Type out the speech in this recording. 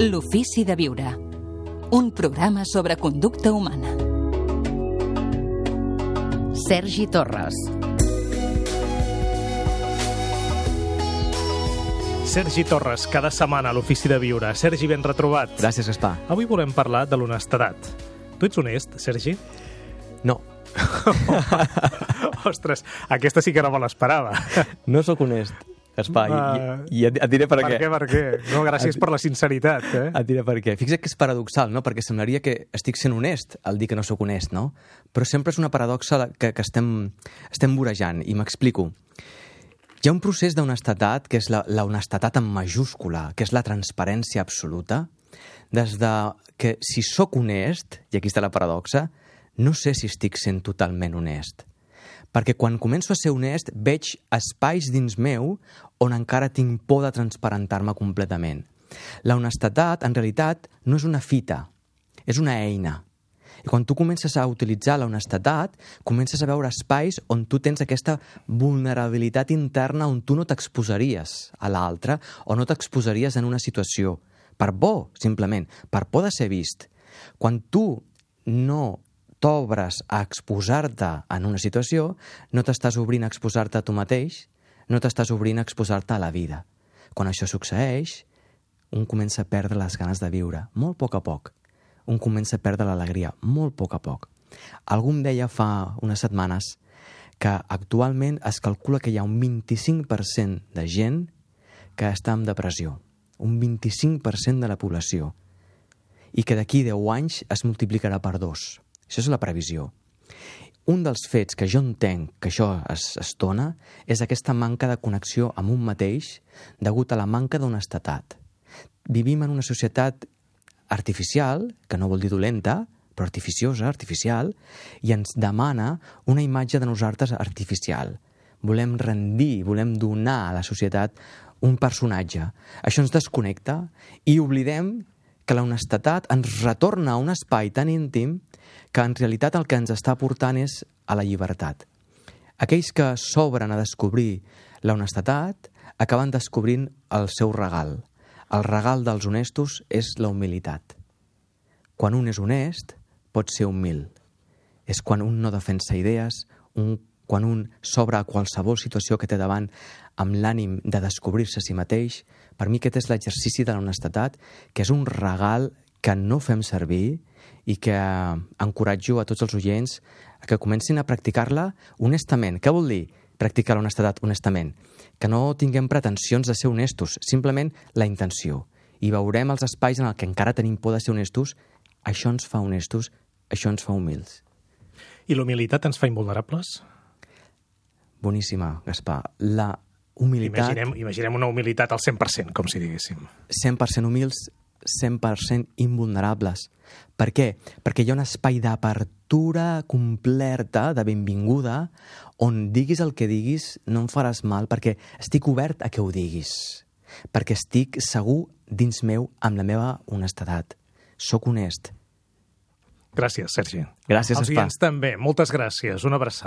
L'ofici de viure. Un programa sobre conducta humana. Sergi Torres. Sergi Torres, cada setmana a l'Ofici de Viure. Sergi, ben retrobat. Gràcies, Gaspar. Avui volem parlar de l'honestedat. Tu ets honest, Sergi? No. Ostres, aquesta sí que no me l'esperava. No sóc honest, Gaspar, i et diré per què. Per què? No, gràcies per la sinceritat, eh? Et diré per què. Fixa't que és paradoxal, no? Perquè semblaria que estic sent honest al dir que no sóc honest, no? Però sempre és una paradoxa que estem vorejant, i m'explico. Hi ha un procés d'honestedat, que és la honestedat en majúscula, que és la transparència absoluta, des de que si sóc honest, i aquí està la paradoxa, no sé si estic sent totalment honest. Perquè quan començo a ser honest, veig espais dins meu on encara tinc por de transparentar-me completament. La honestedat, en realitat, no és una fita, és una eina. I quan tu comences a utilitzar la honestedat, comences a veure espais on tu tens aquesta vulnerabilitat interna on tu no t'exposaries a l'altre o no t'exposaries en una situació. Per por, simplement, per por de ser vist. Quan tu no t'obres a exposar-te en una situació, no t'estàs obrint a exposar-te a tu mateix, no t'estàs obrint a exposar-te a la vida. Quan això succeeix, un comença a perdre les ganes de viure, molt a poc. Un comença a perdre l'alegria, molt a poc. Algú em deia fa unes setmanes que actualment es calcula que hi ha un 25% de gent que està en depressió, un 25% de la població, i que d'aquí 10 anys es multiplicarà per 2. Això és la previsió. Un dels fets que jo entenc que això es dona és aquesta manca de connexió amb un mateix degut a la manca d'honestedat. Vivim en una societat artificial, que no vol dir dolenta, però artificiosa, artificial, i ens demana una imatge de nosaltres artificial. Volem rendir, volem donar a la societat un personatge. Això ens desconnecta i oblidem que la honestedat ens retorna a un espai tan íntim que en realitat el que ens està portant és a la llibertat. Aquells que s'obren a descobrir la honestedat acaben descobrint el seu regal. El regal dels honestos és la humilitat. Quan un és honest, pot ser humil. És quan un no defensa idees, quan un s'obre a qualsevol situació que té davant amb l'ànim de descobrir-se a si mateix. Per mi aquest és l'exercici de l'honestedat, que és un regal que no fem servir i que encoratjo a tots els oients que comencin a practicar-la honestament. Què vol dir practicar l'honestedat honestament? Que no tinguem pretensions de ser honestos, simplement la intenció. I veurem els espais en què encara tenim por de ser honestos. Això ens fa honestos, això ens fa humils. I la humilitat ens fa invulnerables? Boníssima, Gaspar. La humilitat... Imaginem una humilitat al 100%, com si diguéssim. 100% humils, 100% invulnerables. Per què? Perquè hi ha un espai d'apertura completa, de benvinguda, on diguis el que diguis no em faràs mal, perquè estic obert a que ho diguis. Perquè estic segur dins meu amb la meva honestedat. Soc honest. Gràcies, Sergi. Gràcies, Els Gaspar. oients també. Moltes gràcies. Una abraçada.